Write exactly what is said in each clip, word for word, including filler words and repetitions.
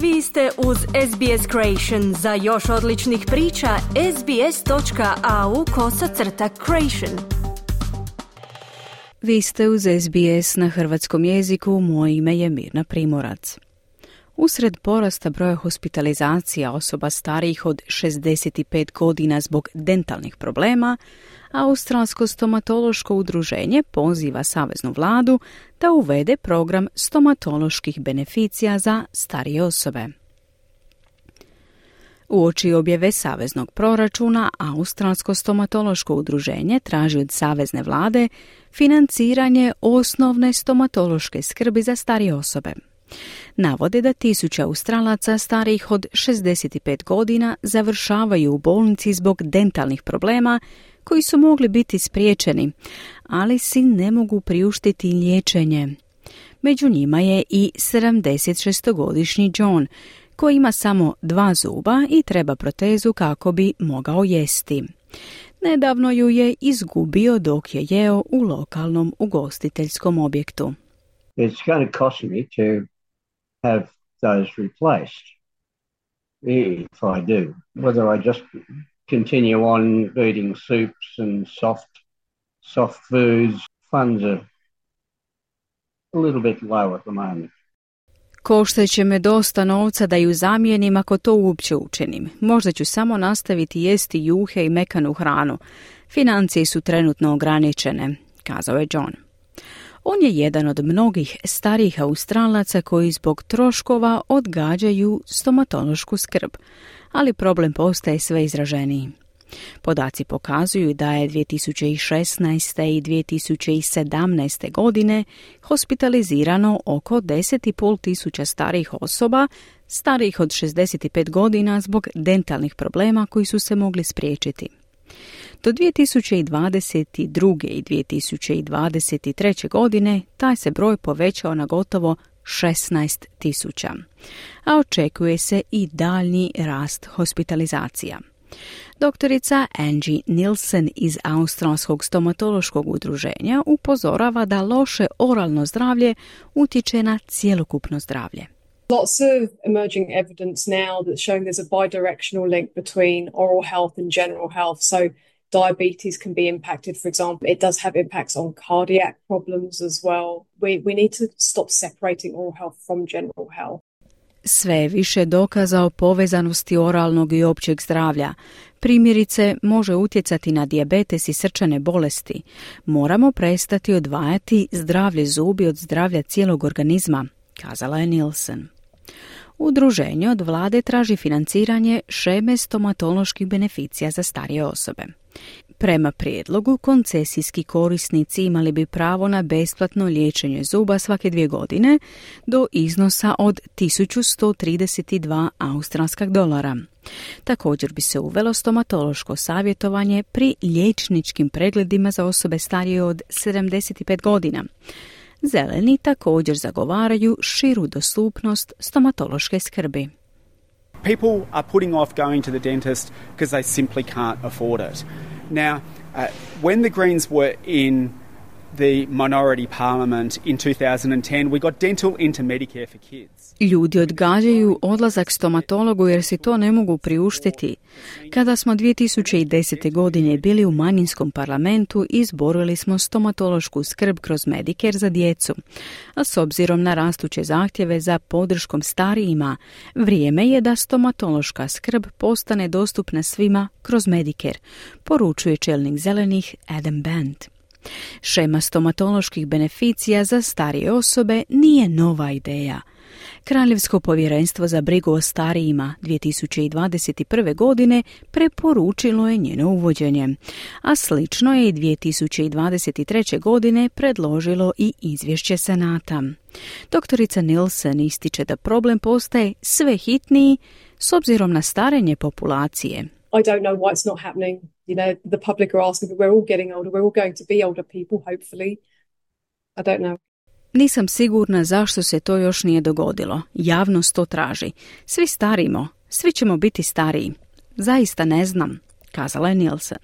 Vi ste uz S B S Creation. Za još odličnih priča, sbs.au kosacrta creation. Vi ste uz S B S na hrvatskom jeziku, moje ime je Mirna Primorac. Usred porasta broja hospitalizacija osoba starijih od šezdeset pet godina zbog dentalnih problema, Australsko stomatološko udruženje poziva saveznu vladu da uvede program stomatoloških beneficija za starije osobe. Uoči objave saveznog proračuna, Australsko stomatološko udruženje traži od savezne vlade financiranje osnovne stomatološke skrbi za starije osobe. Navode da tisuće Australaca starijih od šezdeset pet godina završavaju u bolnici zbog dentalnih problema koji su mogli biti spriječeni, ali si ne mogu priuštiti liječenje. Među njima je i sedamdesetšestogodišnji John, koji ima samo dva zuba i treba protezu kako bi mogao jesti. Nedavno ju je izgubio dok je jeo u lokalnom ugostiteljskom objektu. It's going to cost me to have those replaced if I do. Whether I just continue on eating soups and soft soft foods, funds are a little bit low at the moment. Koštat će me dosta novca da ju zamijenim ako to uopće učinim. Možda ću samo nastaviti jesti juhe i mekanu hranu. Financije su trenutno ograničene, kazao je John. On je jedan od mnogih starijih Australaca koji zbog troškova odgađaju stomatološku skrb, ali problem postaje sve izraženiji. Podaci pokazuju da je dvije tisuće šesnaeste. i dvije tisuće sedamnaeste. godine hospitalizirano oko deset i pol tisuća starijih osoba, starijih od šezdeset pet godina zbog dentalnih problema koji su se mogli spriječiti. Do dvije tisuće dvadeset druge. i dvije tisuće dvadeset treće. godine taj se broj povećao na gotovo šesnaest tisuća, a očekuje se i daljnji rast hospitalizacija. Doktorica Angie Nielsen iz Australskog stomatološkog udruženja upozorava da loše oralno zdravlje utječe na cjelokupno zdravlje. Lots of emerging evidence now that's showing there's a bidirectional link between oral health and general health. So diabetes can be impacted, for example. It does have impacts on cardiac problems as well. We, we need to stop separating oral health from general health. Sve je više dokaza o povezanosti oralnog i općeg zdravlja. Primjerice, može utjecati na dijabetes i srčane bolesti. Moramo prestati odvajati zdravlje zubi od zdravlja cijelog organizma, kazala je Nielsen. Udruženje od vlade traži financiranje šeme stomatoloških beneficija za starije osobe. Prema prijedlogu, koncesijski korisnici imali bi pravo na besplatno liječenje zuba svake dvije godine do iznosa od tisuću sto trideset dva australskog dolara. Također bi se uvelo stomatološko savjetovanje pri liječničkim pregledima za osobe starije od sedamdeset pet godina. Zeleni također zagovaraju širu dostupnost stomatološke skrbi. People are putting off going to the dentist because they simply can't afford it. Now, uh, when the Greens were in the minority parliament in two thousand ten, we got dental into Medicare for kids. Ljudi odgađaju odlazak stomatologu jer si to ne mogu priuštiti. Kada smo dvije tisuće desete. godine bili u manjinskom parlamentu, izborili smo stomatološku skrb kroz Medicare za djecu. A s obzirom na rastuće zahtjeve za podrškom starijima, vrijeme je da stomatološka skrb postane dostupna svima kroz Medicare, poručuje čelnik zelenih Adam Band. Šema stomatoloških beneficija za starije osobe nije nova ideja. Kraljevsko povjerenstvo za brigu o starijima dvije tisuće dvadeset prve. godine preporučilo je njeno uvođenje, a slično je i dvije tisuće dvadeset treće. godine predložilo i izvješće Senata. Doktorica Nielsen ističe da problem postaje sve hitniji s obzirom na starenje populacije. I don't know why it's not happening. You know, the public are asking, but we're all getting older. We're all going to be older people, hopefully. I don't know. Nisam sigurna zašto se to još nije dogodilo. Javnost to traži. Svi starimo. Svi ćemo biti stariji. Zaista ne znam, kazala je Nielsen.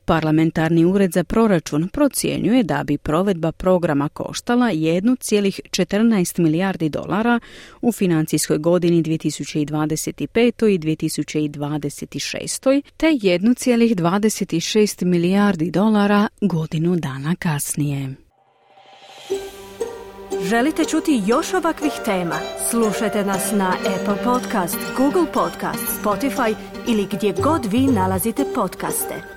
Parlamentarni ured za proračun procjenjuje da bi provedba programa koštala jedan zarez četrnaest milijardi dolara u financijskoj godini dvije tisuće dvadeset pet. i dvije tisuće dvadeset šest. te jedan zarez dvadeset šest milijardi dolara godinu dana kasnije. Želite čuti još ovakvih tema? Slušajte nas na Apple Podcast, Google Podcast, Spotify ili gdje god vi nalazite podcaste.